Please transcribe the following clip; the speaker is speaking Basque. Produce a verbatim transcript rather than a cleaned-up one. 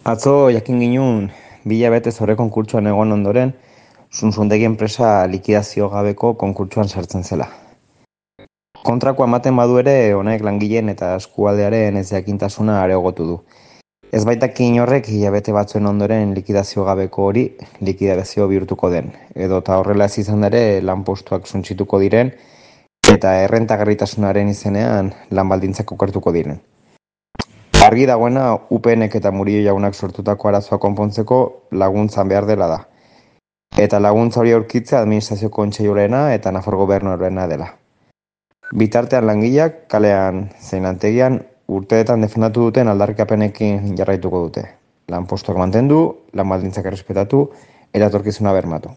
Atzo jakin ginun, bi hilabete zore konkurtsoan egon ondoren, Suntsundegi enpresa likidazio gabeko konkurtsoan sartzen zela. Kontrakoa ematen badu ere, honek langileen eta eskualdearen ez jakintasuna areagotu du. Ez baitakin horrek hilabete batzuen ondoren likidazio gabeko hori likidazio bihurtuko den, edo eta horrela ez izan ere lanpostuak suntsituko diren eta errentagarritasunaren izenean lan baldintzak okertuko diren. Argi dagoena U P Nek eta Murillo jaunak sortutako arazoa konpontzeko laguntzan behar dela da. Eta laguntza hori aurkitzea administrazio kontseiluarena eta Nafar gobernuarena dela. Bitartean langileak kalean zein lantegian urteetan defendatu duten aldarrikapenekin jarraituko dute. Lanpostuak mantendu, lan baldintzak errespetatu eta etorkizuna bermatu.